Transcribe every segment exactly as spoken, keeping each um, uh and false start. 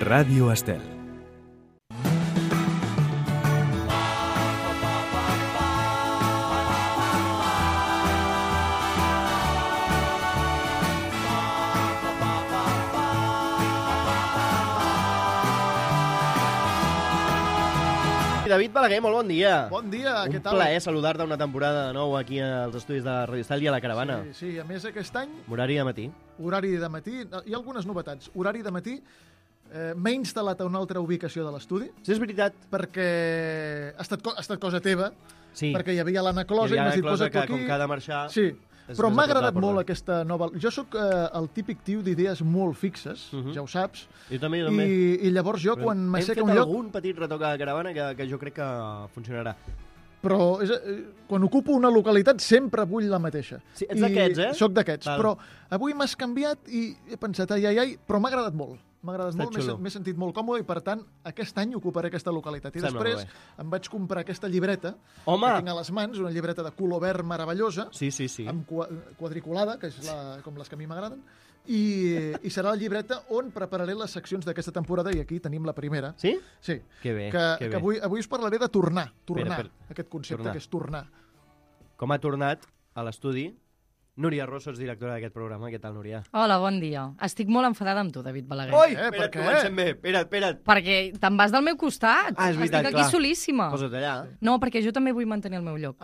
Ràdio Estel. David Balaguer, molt bon dia. Bon dia, Un què tal? Un plaer saludar-te una temporada de nou aquí als estudis de Ràdio Estel i a la Caravana. Sí, sí, a més aquest any, Horari de matí. horari de matí, hi ha algunes novetats. Horari de matí, eh, m'he instal·lat a una altra ubicació de l'estudi, Sí, és veritat. perquè ha estat, co- ha estat cosa teva, Sí. perquè hi havia l'Anna Closa Hi i havia m'has dit, la cosa posa't tu que, aquí. com que ha de marxar... Sí, és però més m'ha a prop de la agradat porta. molt aquesta nova... Jo sóc eh, el típic tio d'idees molt fixes, Mhm. ja ho saps, Jo també, jo també. i, i llavors jo quan Hem m'asseca fet un lloc... algun petit retoc a la Caravana que, que jo crec que funcionarà. Però és, eh, quan ocupo una localitat sempre vull la mateixa. Sí, ets d'aquests, eh? Soc d'aquests, Val. però avui m'has canviat i he pensat, ai, ai, ai, però m'ha agradat molt. M'ha agradat Està molt, m'he xulo. m'he sentit molt còmode i, per tant, aquest any ocuparé aquesta localitat. I Sembla després molt em vaig comprar aquesta llibreta Home! que tinc a les mans, una llibreta de color verd meravellosa, Sí, sí, sí. amb qua- quadriculada, que és la, com les que a mi m'agraden, i, i serà la llibreta on prepararé les seccions d'aquesta temporada, i aquí tenim la primera. Sí? Sí, Que bé, que, que que bé. avui, avui us parlaré de tornar, tornar, Espera, aquest concepte tornar. que és tornar. Com ha tornat a l'estudi Núria Rosso, és directora d'aquest programa. Què tal, Núria? Hola, bon dia. Estic molt enfadada amb tu, David Balaguer. Oi! Eh, per Espera't, què? comencem bé. Espera't, espera't. Perquè te'n vas del meu costat. Ah, és veritat, Estic aquí clar. solíssima. Posa't allà. No, perquè jo també vull mantenir el meu lloc.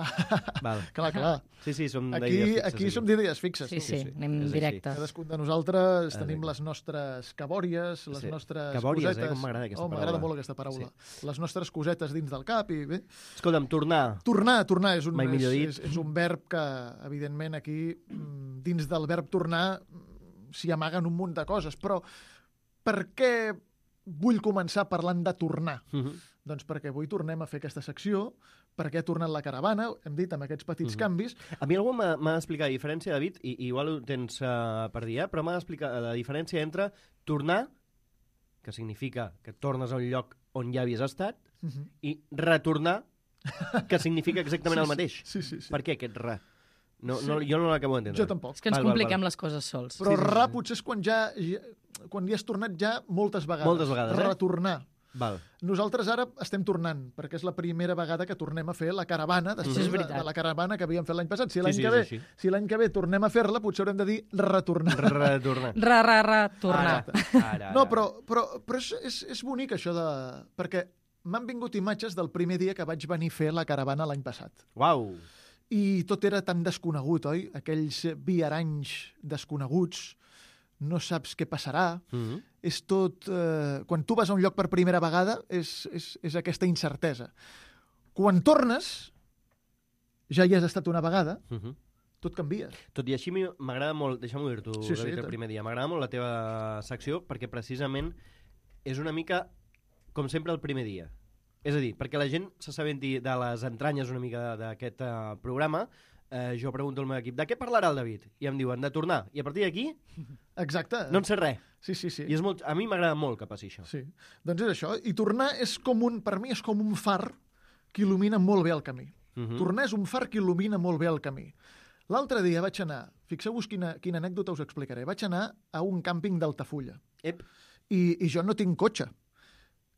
Val. Clar, clar. Sí, sí, som Aquí, d'idees fixes. aquí som d'idees fixes. Sí, tu. sí, sí, anem és així. directes. Cadascun de nosaltres Ah, tenim vinga. les nostres cabòries, les Sí. nostres Cabòries, eh? cosetes... Com m'agrada aquesta oh, m'agrada paraula. molt aquesta paraula. Les nostres cosetes dins del cap i bé. Escolta'm, tornar. Tornar, tornar és un, Mai millor és, dit. és, és un verb que, evidentment, aquí, mm, dins del verb tornar, mm, s'hi amaguen un munt de coses. Però per què vull començar parlant de tornar? Mhm. Doncs perquè avui tornem a fer aquesta secció, perquè ha tornat la caravana, hem dit, amb aquests petits Mhm. canvis. A mi algú m'ha m'ha d'explicar la diferència, David, i, i igual ho tens uh, per dir, eh? Però m'ha d'explicar la diferència entre tornar, que significa que tornes a un lloc on ja havies estat, Mhm. i retornar, que significa exactament Sí, el mateix. Sí, sí, sí. Per què aquest re? No, Sí. no, jo no l'acabo d'entendre. Jo tampoc. És que ens Val, val, compliquem val. les coses sols. Però Sí, sí, sí, ra sí. potser és quan ja, ja quan hi has tornat ja moltes vegades. Moltes vegades, eh? Retornar. Val. Nosaltres ara estem tornant, perquè és la primera vegada que tornem a fer la caravana, després Això és de, veritat. de la caravana que havíem fet l'any passat. Si Sí, l'any sí, que és ve, així. si l'any que ve tornem a fer-la, potser haurem de dir retornar. Retornar. Ra, ra, ra, tornar. Ara, ara, No, ara. però, però, però és, és, és bonic això de... Perquè m'han vingut imatges del primer dia que vaig venir a fer la caravana l'any passat. Uau. I tot era tan desconegut, oi? Aquells viaranys desconeguts, no saps què passarà, Mhm. és tot... Eh, quan tu vas a un lloc per primera vegada és, és, és aquesta incertesa. Quan tornes, ja hi has estat una vegada, Mhm. tot canvia. Tot i així, a mi m'agrada molt, deixa'm dir-t'ho, Sí, sí, David, el tant. primer dia, m'agrada molt la teva secció perquè precisament és una mica com sempre el primer dia. És a dir, perquè la gent s'assabenti de les entranyes una mica d'aquest uh, programa, eh, jo pregunto al meu equip, de què parlarà el David? I em diuen, de tornar. I a partir d'aquí Exacte. no en sé res. Sí, sí, sí. I és molt, a mi m'agrada molt que passi això. Sí. Doncs és això. I tornar és com un... Per mi és com un far que il·lumina molt bé el camí. Mhm. Tornar és un far que il·lumina molt bé el camí. L'altre dia vaig anar... Fixeu-vos quina, quina anècdota us explicaré. Vaig anar a un càmping d'Altafulla. Ep. I, I jo no tinc cotxe.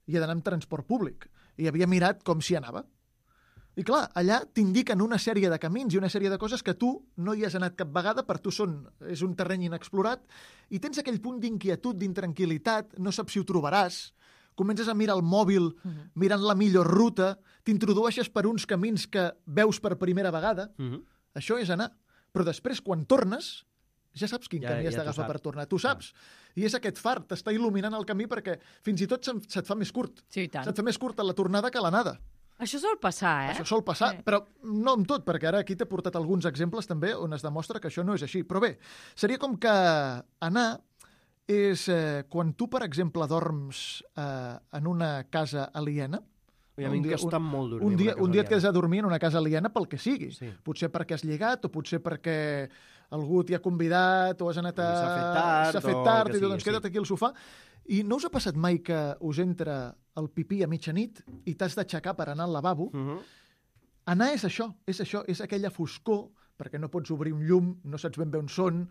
I he d'anar amb transport públic. I havia mirat com s'hi anava. I clar, allà t'indiquen una sèrie de camins i una sèrie de coses que tu no hi has anat cap vegada, per tu són, és un terreny inexplorat, i tens aquell punt d'inquietud, d'intranquil·litat, no saps si ho trobaràs, comences a mirar el mòbil, mirant la millor ruta, t'introdueixes per uns camins que veus per primera vegada. Mhm. Això és anar. Però després, quan tornes, ja saps quin Ja- camí has ja t'ho d'agafar saps. per tornar. Tu saps. I és aquest far, t'està il·luminant el camí perquè fins i tot se'n- se't fa més curt. Sí, i tant. Se't fa més curta la tornada que l'anada. Això sol passar, eh? Això sol passar, Sí. però no amb tot, perquè ara aquí t'he portat alguns exemples també on es demostra que això no és així. Però bé, seria com que anar és eh, quan tu, per exemple, dorms eh, en una casa aliena. I a mi Un em dia- costa molt dormir Un en dia, una casa un dia et aliena. quedes a dormir en una casa aliena pel que sigui. Sí. Potser perquè has lligat, o potser perquè algú t'hi ha convidat, o has anat a... O s'ha fet tard, s'ha fet o tard, que i diu, sigui, doncs sí. queda't aquí al sofà. I no us ha passat mai que us entra el pipí a mitjanit i t'has d'aixecar per anar al lavabo? Mhm. Anar és això, és això, és aquella foscor, perquè no pots obrir un llum, no saps ben bé on són,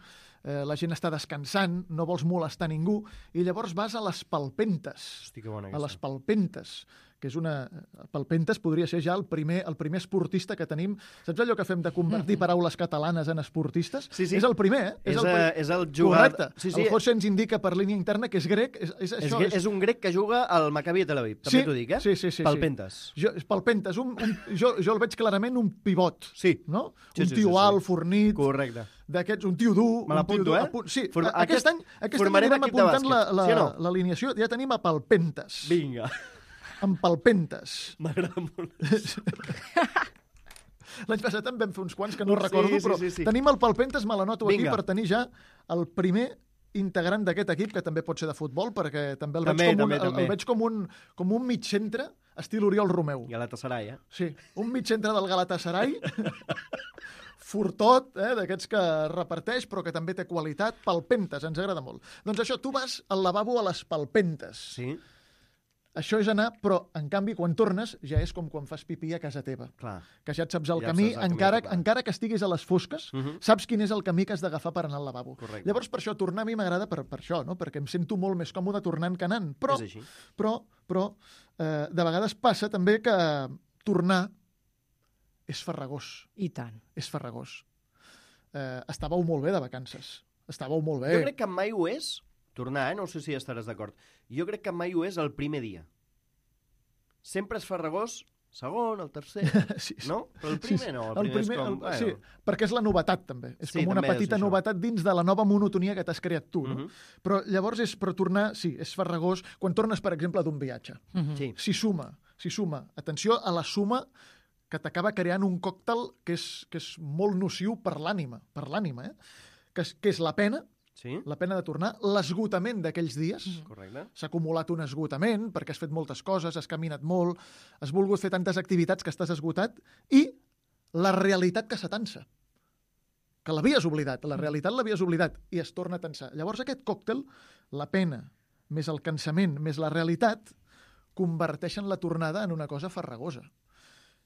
eh, la gent està descansant, no vols molestar ningú, i llavors vas a les palpentes. Hosti, que bona A les aquesta. palpentes, que és una... Palpentes podria ser ja el primer, el primer esportista que tenim. Saps allò que fem de convertir paraules catalanes en esportistes? Sí, sí. És el primer, eh? És, el, eh, pri- és el jugador... Correcte. Sí, sí. El José ens indica per línia interna que és grec. És, és, És, això, és, és un grec que juga al Maccabi de Tel Aviv, també Sí, t'ho dic, eh? sí, sí, sí, sí. Palpentes. Jo, palpentes, un, un, jo, jo el veig clarament un pivot, Sí. no? Sí, un sí, tio sí, sí. alt, fornit, Correcte. d'aquests, un tio dur. Me un l'apunto, tio dur, eh? apunt- Sí, Form- a- aquest aquest- any, aquest any formarem anirem equip de apuntant la- bàsquet, la- sí o no? l'alineació. Ja tenim a palpentes. Vinga. Amb palpentes. M'agrada molt. L'any passat en vam fer uns quants que no Sí, recordo, sí, però sí, sí. tenim el palpentes, me l'anoto aquí Vinga. per tenir ja el primer integrant d'aquest equip, que també pot ser de futbol, perquè també el També, veig com un, també, el, també. el veig com un, com un mig centre, estil Oriol Romeu. Galatasaray, eh? Sí, un mig centre del Galatasaray, fortot, eh, d'aquests que reparteix, però que també té qualitat, palpentes, ens agrada molt. Doncs això, tu vas al lavabo a les palpentes. Sí, Això és anar, però, en canvi, quan tornes, ja és com quan fas pipí a casa teva. clar. Que ja et saps el Ja camí, saps el camí encara, a tornar. encara que estiguis a les fosques, Mhm. saps quin és el camí que has d'agafar per anar al lavabo. Correcte. Llavors, per això, tornar a mi m'agrada per, per això, no? Perquè em sento molt més còmode tornant que anant. Però, És així. però, però eh, de vegades passa també que tornar és farragós. I tant. És farragós. Eh, estàveu molt bé de vacances. Estàveu molt bé. Jo crec que mai ho és, tornar, eh? No sé si estaràs d'acord. Jo crec que mai ho és el primer dia. Sempre és farragós, segon, el tercer, Sí, sí. no? Però el Sí, primer sí. no, el primer, és com... el, bueno, sí, perquè és la novetat, també. És Sí, com una també és petita això. novetat dins de la nova monotonia que t'has creat tu. No? Mhm. Però llavors, és per tornar, sí, és farragós, quan tornes, per exemple, d'un viatge. Mhm. Sí. S'hi suma, s'hi suma. Atenció a la suma que t'acaba creant un còctel que és, que és molt nociu per l'ànima, per l'ànima, eh? Que és, que és la pena, Sí, la pena de tornar, l'esgotament d'aquells dies. correcte. S'ha acumulat un esgotament perquè has fet moltes coses, has caminat molt, has volgut fer tantes activitats que estàs esgotat, i la realitat que s'atansa, que l'havies oblidat, la realitat l'havies oblidat, i es torna a tensar. Llavors aquest còctel, la pena, més el cansament, més la realitat, converteixen la tornada en una cosa farragosa.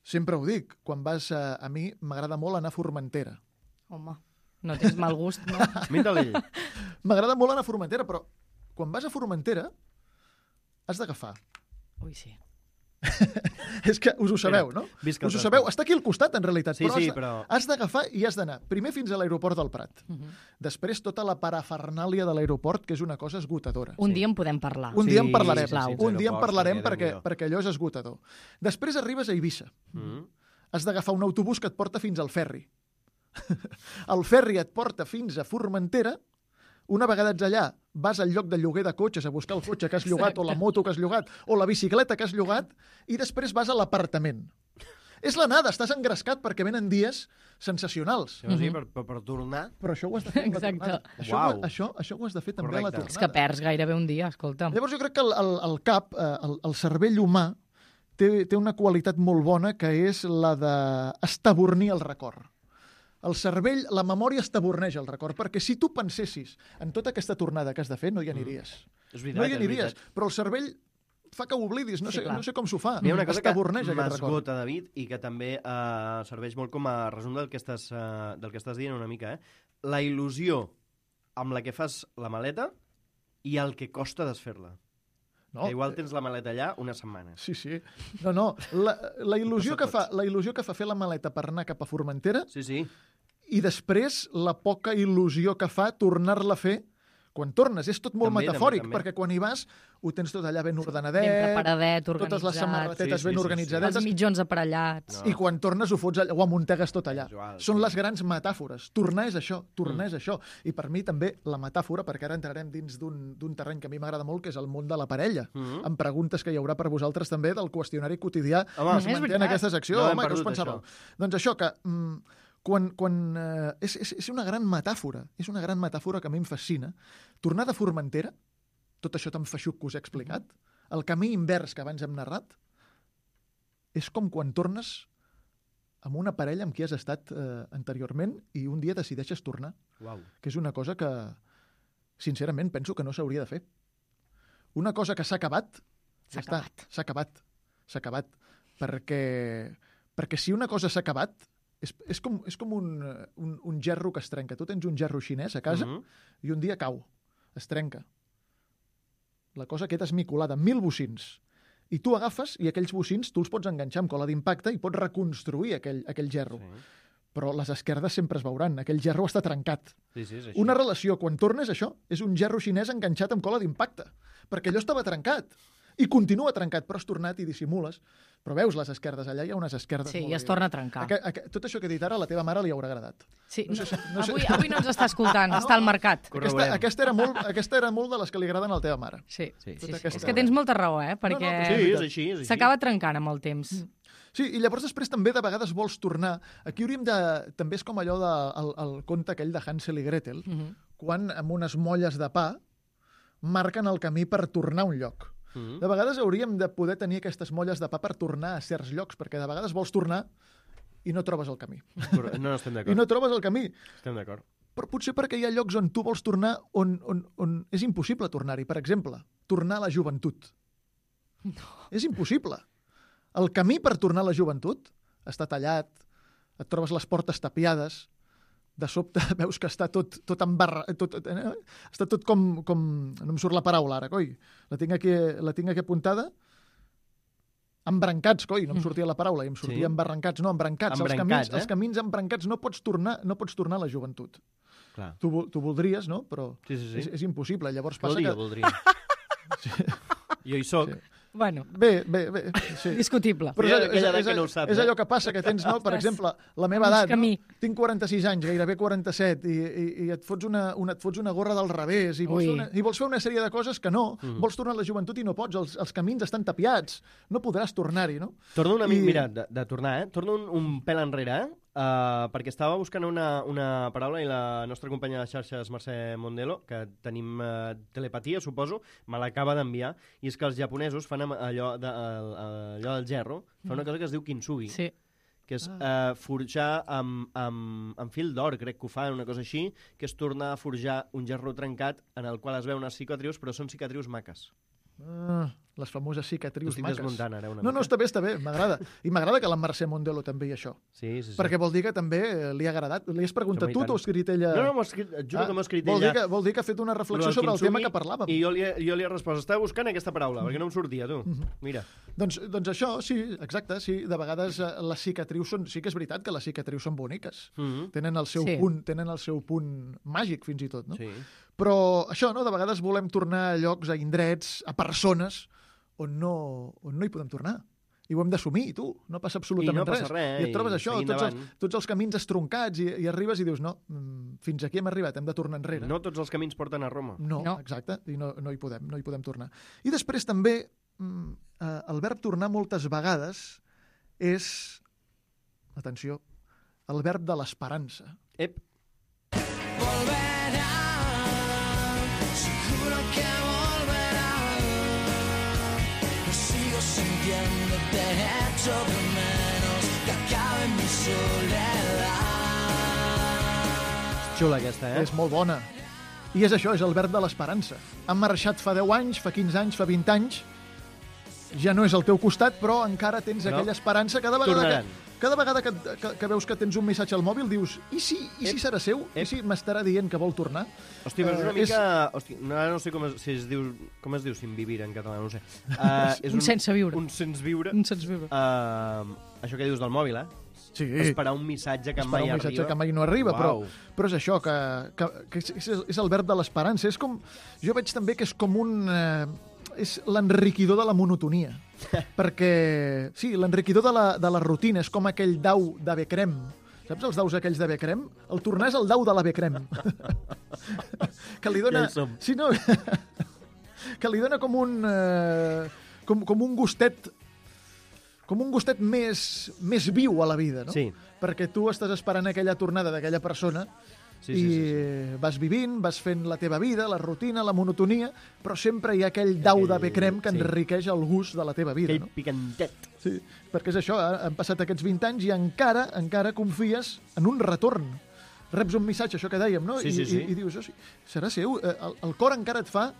Sempre ho dic, quan vas a, a mi m'agrada molt anar a Formentera. Home, no tens mal gust, no? Mira l'ell. M'agrada molt anar a Formentera, però quan vas a Formentera has d'agafar. Ui, sí. És que us ho sabeu, Mira, no? visca el Us ho transport. sabeu. Està aquí al costat, en realitat. Sí, però sí, has, de- però... has d'agafar i has d'anar. Primer fins a l'aeroport del Prat. Mhm. Després tota la parafernàlia de l'aeroport, que és una cosa esgotadora. Un Sí. dia en podem parlar. Un Sí, dia en parlarem. sisplau. sí, Un dia en aeroports, parlarem perquè, perquè, Déu-n'hi-do. perquè allò és esgotador. Després arribes a Eivissa. Mhm. Has d'agafar un autobús que et porta fins al ferri. El ferri et porta fins a Formentera. Una vegada ets allà, vas al lloc de lloguer de cotxes a buscar el cotxe que has llogat, o la moto que has llogat, o la bicicleta que has llogat, i després vas a l'apartament. És l'anada, estàs engrescat perquè venen dies sensacionals. Sí, o sigui, per, per, per tornar... Però això ho has de fer amb la Exacte. tornada. Això, Uau. ho- això, això ho has de fer també a la Correcte. tornada. És que perds gairebé un dia, escolta. Llavors jo crec que el, el, el cap, eh, el, el cervell humà, té, té una qualitat molt bona que és la d'estabornir el record. El cervell, la memòria estaborneix el record, perquè si tu pensessis en tota aquesta tornada que has de fer, no hi aniries. És veritat, No hi és aniries, veritat. però el cervell fa que ho oblidis, no, Sí, sé, clar. no sé com s'ho fa. Hi ha una cosa que Estaborneix aquest record. m'esgota, David, i que també eh, serveix molt com a resum del que, estàs, eh, del que estàs dient una mica. Eh? La il·lusió amb la que fas la maleta i el que costa desfer-la. No? Que igual tens la maleta allà una setmana. Sí, sí. No, no, la, la, il·lusió que passa fa, la il·lusió que fa fer la maleta per anar cap a Formentera Sí, sí. i després la poca il·lusió que fa tornar-la a fer quan tornes. És tot molt També, metafòric, també, també. perquè quan hi vas ho tens tot allà ben ordenadet, Ben preparadet, organitzat. totes les samarretetes Sí, sí, ben sí, sí. organitzadetes, Els mitjons aparellats. No. i quan tornes ho fots allà, ho amuntegues tot allà. Casual, Són sí. les grans metàfores. Tornar és això, tornar és això. I per mi també la metàfora, perquè ara entrarem dins d'un d'un terreny que a mi m'agrada molt, que és el món de la parella, Mhm. amb preguntes que hi haurà per vosaltres també del qüestionari quotidià Home, que es és manté en veritat. aquesta secció. No hem Home, què us perdut, pensàveu? això. Doncs això, que mm, quan, quan, eh, és, és, és una gran metàfora, és una gran metàfora que a mi em fascina. Tornar de Formentera, tot això tan feixuc que us he explicat, el camí invers que abans hem narrat, és com quan tornes amb una parella amb qui has estat eh, anteriorment i un dia decideixes tornar, Uau. que és una cosa que, sincerament, penso que no s'hauria de fer. Una cosa que s'ha acabat, S'ha ja està, acabat. s'ha acabat, s'ha acabat, perquè, perquè si una cosa s'ha acabat és, és com, és com un, un, un gerro que es trenca. Tu tens un gerro xinès a casa Mhm. i un dia cau, es trenca. La cosa queda esmicolada, mil bocins. I tu agafes i aquells bocins tu els pots enganxar amb cola d'impacte i pots reconstruir aquell, aquell gerro. Sí. Però les esquerdes sempre es veuran. Aquell gerro està trencat. Sí, sí, és així. Una relació, quan tornes això, és un gerro xinès enganxat amb cola d'impacte. Perquè allò estava trencat. I continua trencat, però has tornat i dissimules. Però veus les esquerdes, allà hi ha unes esquerdes. Sí, molt i es bé. torna a trencar. Aqu aqu tot això que he dit ara a la teva mare li haurà agradat. Sí, No sé si- no sé- avui, avui no ens està escoltant, està al mercat. Aquesta, Corroborem. aquesta, era molt, aquesta era molt de les que li agraden a la teva mare. Sí, Sí, sí, Tota sí. aquesta- És que tens molta raó, eh? Perquè No, no, però Sí, és així, és així. s'acaba trencant amb el temps. Sí, i llavors després també de vegades vols tornar. Aquí hauríem de... També és com allò del de, el, el conte aquell de Hansel i Gretel, Mhm. quan amb unes molles de pa marquen el camí per tornar a un lloc. Mhm. De vegades hauríem de poder tenir aquestes molles de pa per tornar a certs llocs, perquè de vegades vols tornar i no trobes el camí. Corre- No, no estem I d'acord. no trobes el camí. Estem d'acord. Però potser perquè hi ha llocs on tu vols tornar on, on, on és impossible tornar-hi. Per exemple, tornar a la joventut. No. És impossible. El camí per tornar a la joventut està tallat, et trobes les portes tapiades, de sobte veus que està tot, tot embarra... Tot, eh? Està tot com, com... No em surt la paraula ara, coi. La tinc aquí, la tinc aquí apuntada. Embrancats, coi, no em sortia la paraula, i em sortia Sí. embarrancats, no, embrancats. els, Embrancats, camins, eh? els camins embrancats no pots tornar, no pots tornar a la joventut. Clar. Tu, vol- tu voldries, no? Però Sí, sí, sí. és, és impossible. Llavors passa Voldria, que... voldria. Jo hi soc. Sí. Bueno, Bé, bé, bé, sí. discutible. Però Hi ha és, és, aquella edat és, que no ho sap, és eh? allò que passa, que tens, no? Per Ostres. exemple, la meva Mig edat, no? camí. Tinc quaranta-sis anys, gairebé quaranta-set, i, i, i et, fots una, una, et fots una gorra del revés, i vols, Ui. fer una, i vols fer una sèrie de coses que no. Mhm. Vols tornar a la joventut i no pots, els, els camins estan tapiats, no podràs tornar-hi, no? Torno una mica, I- mira, de, de tornar, eh? Torno un, un pèl enrere, eh? Uh, perquè estava buscant una, una paraula i la nostra companya de xarxes, Mercè Mondelo, que tenim uh, telepatia, suposo, me l'acaba d'enviar, i és que els japonesos fan amb allò, de, el- allò del gerro, fa una cosa que es diu kintsugi, Sí. que és uh, forjar amb, amb, amb fil d'or, crec que ho fan, una cosa així, que és tornar a forjar un gerro trencat en el qual es veuen unes cicatrius, però són cicatrius maques. Ah, les famoses cicatrius Ho estic maques. desmuntant ara una No, no, mica. està bé, està bé, m'agrada. I m'agrada que la Mercè Mondelo també hi això. Sí, sí, sí. Perquè vol dir que també eh, li ha agradat. Li has preguntat Home, i tu, tant. t'ho has escrit ella... No, no, m'ho ha escrit, et juro Ah, que m'ho ha escrit vol ella. dir que, vol dir que ha fet una reflexió Lo del sobre el tema kintsugi, que parlàvem. I jo li, he- jo li he respost, estava buscant aquesta paraula, perquè no em sortia, tu. Mira. Doncs, doncs això, sí, exacte, sí. De vegades eh, les cicatrius són... Sí que és veritat que les cicatrius són boniques. Mm -hmm. Tenen el seu Sí. punt, tenen el seu punt màgic, fins i tot, no? Sí. Però això, no? De vegades volem tornar a llocs, a indrets, a persones on no, on no hi podem tornar. I ho hem d'assumir, tu. No passa absolutament I no passa res. res, I et trobes i això, seguint tots els, endavant. tots els camins estroncats, i, i arribes i dius, no, mm, fins aquí hem arribat, hem de tornar enrere. No tots els camins porten a Roma. No, No. exacte, i no, no, hi podem, no hi podem tornar. I després també mm, eh, el verb tornar moltes vegades és, atenció, el verb de l'esperança. Ep, Seguro que volverá. Lo sigo sintiendo, te echo de menos, que acabe mi soledad. xula aquesta, eh? És molt bona. I és això, és el verb de l'esperança. Han marxat fa deu anys, fa quinze anys, fa vint anys, ja no és al teu costat, però encara tens Però aquella esperança. Cada vegada, tornaran. que, cada vegada que, que, que veus que tens un missatge al mòbil, dius, i si, i si Ep. serà seu? Ep. I si m'estarà dient que vol tornar? Hosti, però és una Eh, mica... Hosti, no, ara no sé com es, si es diu, com es diu sin vivir en català, no ho sé. Uh, és Un sense viure. Un sense viure. Un sens viure. Uh, això que dius del mòbil, eh? Sí, Esperar un missatge que esperar mai un missatge arriba. que mai no arriba, però, Uau. però és això, que, que, que és, és- és el verb de l'esperança. És com, jo veig també que és com un... Eh, és l'enriquidor de la monotonia. Perquè, sí, l'enriquidor de, la, de la rutina és com aquell dau de Becrem. Saps els daus aquells de Becrem? El tornar és el dau de la Becrem. que li dona... Ja hi som. Sí, no? que li dona com un... Eh, com, com un gustet com un gustet més, més viu a la vida, no? Sí. Perquè tu estàs esperant aquella tornada d'aquella persona Sí, i sí, sí, sí. vas vivint, vas fent la teva vida, la rutina, la monotonia, però sempre hi ha aquell dau de Becrem que sí. enriqueix el gust de la teva vida, Aquell no? picantet. Sí, perquè és això, ha- han passat aquests vint anys i encara encara confies en un retorn. Reps un missatge, això que dèiem, no? Sí, I, sí, sí. I, i dius, oh, sí, serà seu? Eh, El, el cor encara et fa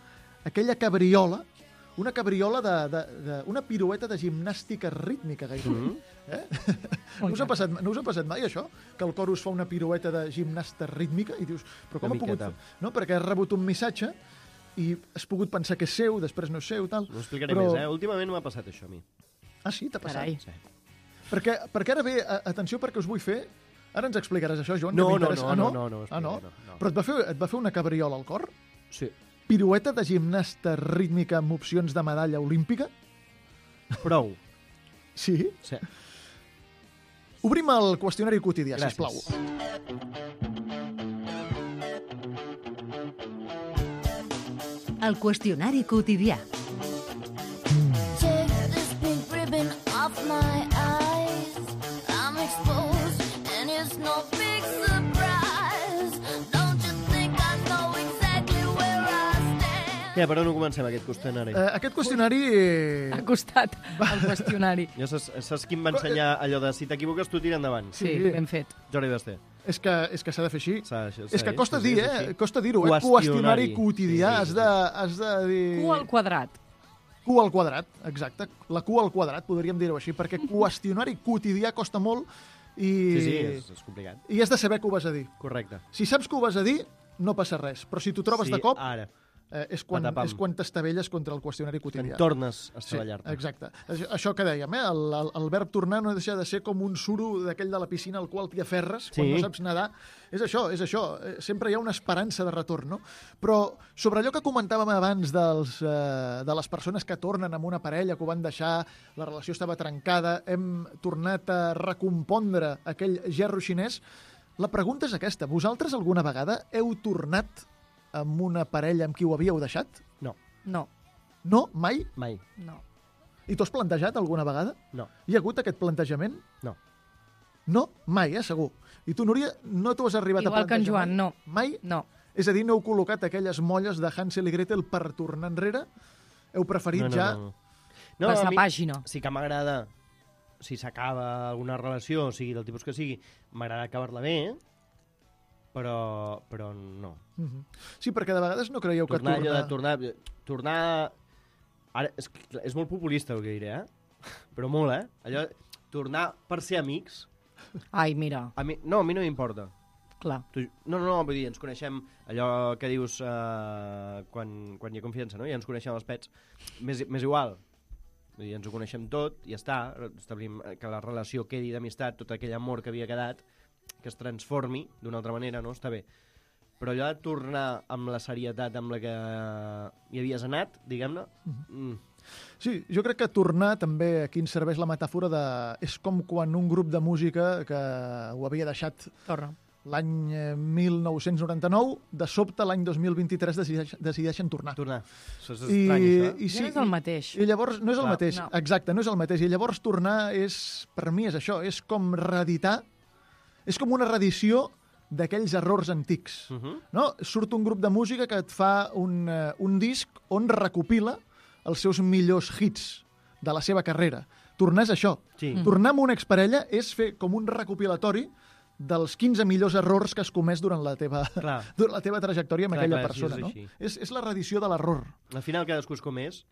aquella cabriola una cabriola de, de, de... una pirueta de gimnàstica rítmica, gairebé. Mhm. Eh? No us, ha passat, no us ha passat mai, això? Que el Corus fa una pirueta de gimnasta rítmica i dius, però com Una ha pogut miqueta. fer? No, perquè has rebut un missatge i has pogut pensar que és seu, després no és seu, tal. No ho explicaré Però- més, eh? Últimament m'ha passat això a mi. Ah, sí? T'ha passat? Carai. Sí. Perquè, perquè ara ve, a- atenció, perquè us vull fer... Ara ens explicaràs això, Joan, No, que no, m'interessa. no, ah, no, no, no, no ho ah, no? explicaré, no, no. Però et va, fer, et va fer una cabriola al cor? Sí. Pirueta de gimnasta rítmica amb opcions de medalla olímpica? Prou. Sí? Sí. Obrim el qüestionari quotidià, Gràcies. sisplau. El qüestionari quotidià. Take this pink ribbon off my eyes. I'm exposed and it's no big surprise. Don't you think I know exactly where I stand? Ja, per on ho comencem, aquest qüestionari? Eh, aquest qüestionari... Eh, Ha costat el qüestionari. Ja saps, saps qui em va ensenyar allò de si t'equivoques tu tira endavant? Sí, Sí. ben fet. Jordi Basté. és que és que s'ha de fer així. S'ha de- És que sí, costa sí, dir, és eh? així. Costa dir-ho, eh? Qüestionari. Qüestionari quotidià. Sí, sí, Has sí. de, has de dir... Q al quadrat. Q al quadrat, exacte. La Q al quadrat, podríem dir-ho així, perquè qüestionari quotidià costa molt i... Sí, sí, és, és complicat. I has de saber què ho vas a dir. Correcte. Si saps què ho vas a dir, no passa res. Però si t'ho trobes sí, de cop, Ara, eh, és quan, patapam. és quan t'estavelles contra el qüestionari en quotidià. tornes a Sí, estavellar-te. exacte. Això, això que dèiem, eh? el, el, el verb tornar no deixa de ser com un suro d'aquell de la piscina al qual t'hi aferres quan Sí. no saps nedar. És això, és això. Eh, Sempre hi ha una esperança de retorn, no? Però sobre allò que comentàvem abans dels, eh, de les persones que tornen amb una parella, que ho van deixar, la relació estava trencada, hem tornat a recompondre aquell gerro xinès, la pregunta és aquesta. Vosaltres alguna vegada heu tornat amb una parella amb qui ho havíeu deixat? No, No, No? Mai? mai. no. I t'ho has plantejat alguna vegada? No, Hi ha hagut aquest plantejament? no. No? Mai, eh? Segur. I tu, Núria, no t'ho has arribat Igual a que en plantejar Joan, mai? no. Mai? No. És a dir, no heu col·locat aquelles molles de Hansel i Gretel per tornar enrere? Heu preferit no, no, ja... no, no. No, Passar a mi pàgina. sí que m'agrada, si s'acaba alguna relació, o sigui, del tipus que sigui, m'agrada acabar-la bé, però, però no. Mhm. Sí, perquè de vegades no creieu que Tornar, tornar... allò de tornar... Tornar... Ara, és, que- és molt populista el que diré, eh? Però molt, eh? Allò, tornar per ser amics, Ai, mira, a mi, no, a mi no m'importa. clar. Tu- No, no, no, vull dir, ens coneixem, allò que dius uh, quan, quan hi ha confiança, no? Ja ens coneixem els pets. M'és m'és igual. Vull dir, ens ho coneixem tot, i ja està. Establim que la relació quedi d'amistat, tot aquell amor que havia quedat, que es transformi d'una altra manera, no? Està bé. Però allò de tornar amb la serietat amb la que hi havies anat, diguem-ne, mm, Sí, jo crec que tornar també aquí ens serveix la metàfora de... És com quan un grup de música que ho havia deixat Torna. l'any eh, mil nou-cents noranta-nou, de sobte l'any dos mil vint-i-tres decideix, decideixen tornar. tornar. Això és I, estrany, això. eh? i Ja no és el mateix. I llavors, no és el Clar. mateix, No. exacte, no és el mateix. I llavors tornar és, per mi és això, és com reeditar, és com una reedició d'aquells errors antics. Uh -huh. No? Surt un grup de música que et fa un, uh, un disc on recopila els seus millors hits de la seva carrera. Tornar és això. Sí. Mm. Tornar amb una exparella és fer com un recopilatori dels quinze millors errors que has comès durant la teva, Clar. durant la teva trajectòria amb Clar, aquella clar, sí, persona. és no? així. És, és la reedició de l'error. Al final cadascú és com és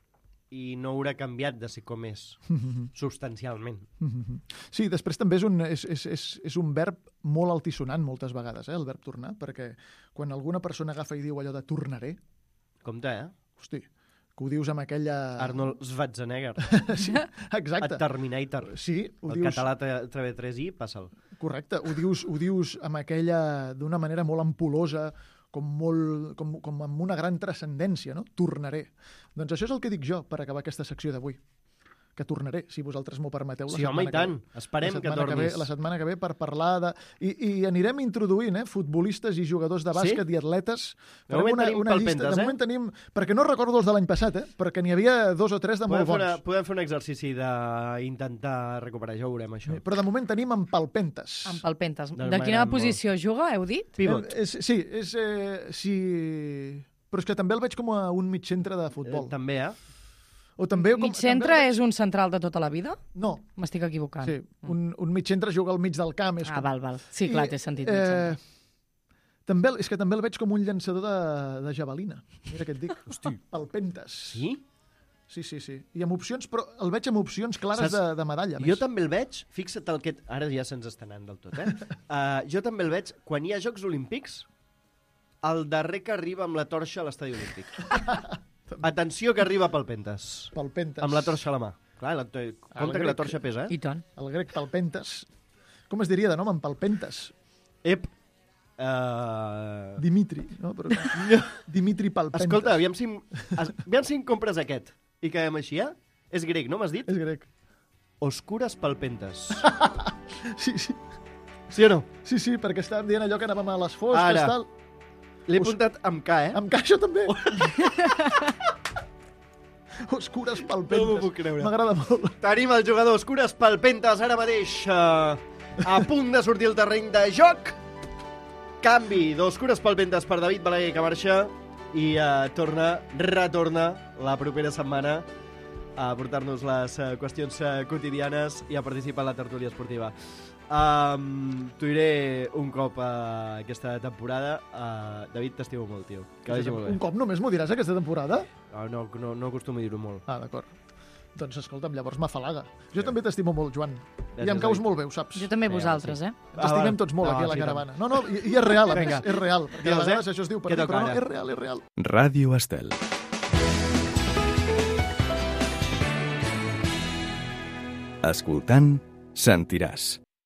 i no haurà canviat de ser com és, substancialment. Sí, després també és un, és, és, és, és un verb molt altisonant moltes vegades, eh, el verb tornar, perquè quan alguna persona agafa i diu allò de tornaré, Compte, eh? hosti, que ho dius amb aquella... Arnold Schwarzenegger, Sí, exacte. a Terminator. Sí, ho El dius... català a través tres i, passa'l. Correcte, ho dius, ho dius amb aquella... d'una manera molt ampulosa, com, molt, com, com amb una gran transcendència, no? Tornaré. Doncs això és el que dic jo per acabar aquesta secció d'avui. Que tornaré, si vosaltres m'ho permeteu. la Sí, home, i setmana que tant. ve. Esperem La que setmana tornis. ve, la setmana que ve per parlar de... I, i anirem introduint, eh, futbolistes i jugadors de bàsquet Sí? i atletes. De moment Farem tenim palpentes, de eh? moment tenim... Perquè no recordo els de l'any passat, eh? Perquè n'hi havia dos o tres de Podem molt fer, bons. una, podem fer un exercici d'intentar recuperar, ja ho veurem, això. Però de moment tenim en palpentes. Amb palpentes. Doncs De quina m'agrada molt. posició juga, heu dit? Pivot. Eh, és, sí, és... Eh, sí... Però és que també el veig com a un mig centre de futbol. Eh, també, eh? O també com, Mig centre també... és un central de tota la vida? No, M'estic equivocant. sí, un, un mig centre juga al mig del camp. És Ah, com... val, val. Sí, clar, té sentit. mig Eh, centre. també, el- és que també el veig com un llançador de, de javelina. Mira què et dic. Hosti. Palpentes. Sí? Sí, sí, sí. I amb opcions, però el veig amb opcions clares Saps? de, de medalla. a Jo més. també el veig, fixa't el que... Ara ja se'ns està anant del tot, eh? uh, jo també el veig, quan hi ha Jocs Olímpics, el darrer que arriba amb la torxa a l'estadi olímpic. Atenció que arriba Palpentes. Palpentes. Amb la torxa a la mà. Clar, la, compte que la grec. torxa pesa, eh? I tant. El grec Palpentes. Com es diria de nom en Palpentes? Ep. Uh... Dimitri, no? Però... Dimitri Palpentes. Escolta, aviam si, es- aviam si em compres aquest. I quedem així, eh? És grec, no m'has dit? És grec. Oscures Palpentes. Sí, sí. Sí o no? Sí, sí, perquè estàvem dient allò que anàvem a les fosques, Ara. tal. L'he Os- apuntat amb K, eh? Em caixa també. Oscures Palpentes. No m'ho puc creure. M'agrada molt. Tenim el jugador Oscures Palpentes ara mateix uh, a punt de sortir al terreny de joc. Canvi d'Oscures Palpentes per David Balaguer, que marxa i uh, torna, retorna la propera setmana a portar-nos les uh, qüestions uh, quotidianes i a participar en la tertúlia esportiva. Um, T'ho diré un cop uh, aquesta temporada. Uh, David, t'estimo molt, tio. Que vagi molt bé. Un cop només m'ho diràs aquesta temporada? No, no, no, no acostumo a dir-ho molt. Ah, d'acord. Doncs escolta'm, llavors m'afalaga. Jo també t'estimo molt, Joan. I Gràcies, em caus David. molt bé, ho saps. Jo també Vinga, vosaltres, sí. eh? Ens estimem va. tots molt No, aquí a la sí, caravana. No, no, i, i és real, a més. Vinga. És real. Perquè Digues, a vegades eh? això es diu per Què dir, toca però no, ara? és real, és real. Ràdio Estel. Escoltant, sentiràs.